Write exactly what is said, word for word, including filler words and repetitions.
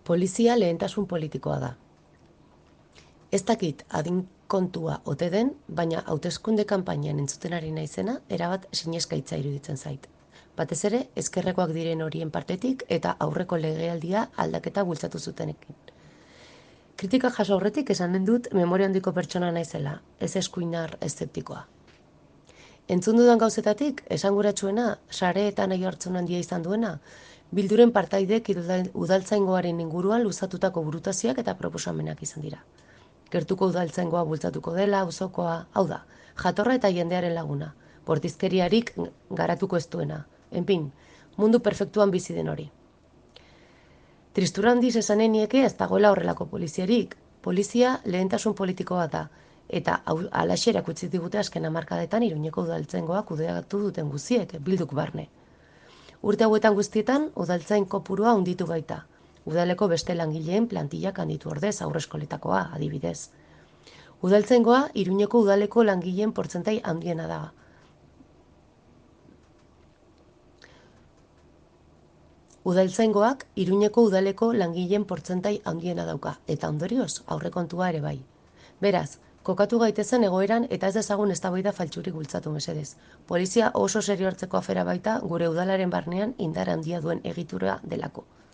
Polizia lehentasun politikoa da. Ez dakit adin kontua ote den, baina hauteskunde kanpainan entzuten ari naizena erabat sineskaitza iruditzen zait. Batez ere, ezkerrekoak diren horien partetik eta aurreko legealdia aldaketa bultzatu zutenekin. Kritika jaso aurretik esanen dut memoria handiko pertsona naizela, ez eskuinar eszeptikoa. Entzun dudan gauzetatik, esanguratsuena, sareetan nahi hartzun handia izan duena, bilduren partaidek udaltzaingoaren inguruan luzatutako burutazioak eta proposamenak izan dira. Gertuko udaltzaingoa bultzatuko dela, auzokoa, hau da, jatorra eta jendearen laguna, bortizkeriarik garatuko ez duena, enpin, mundu perfektuan bizi den hori. Tristura handiz esanen nieke ez dagoela horrelako poliziarik, polizia lehentasun politikoa da, eta alaxe erakutsi digute azken hamarkadetan Iruñeko udaltzaingoa kudeatu duten guziek, bilduk barne. Urte hauetan guztietan, udaltzain kopurua handitu baita. Udaleko beste langileen plantillak handitu ordez aurreskoletakoa, adibidez. Udaltzaingoa Iruñeko udaleko langileen portzentai handiena da. Udaltzaingoak Iruñeko udaleko langileen portzentai handiena dauka, eta ondorioz aurrekontua ere bai. Beraz, kokatu gaitezen egoeran eta ez dezagun eztabaida faltsurik bultzatu mesedez. Polizia oso serio hartzeko afera baita gure udalaren barnean indar handia duen egitura delako.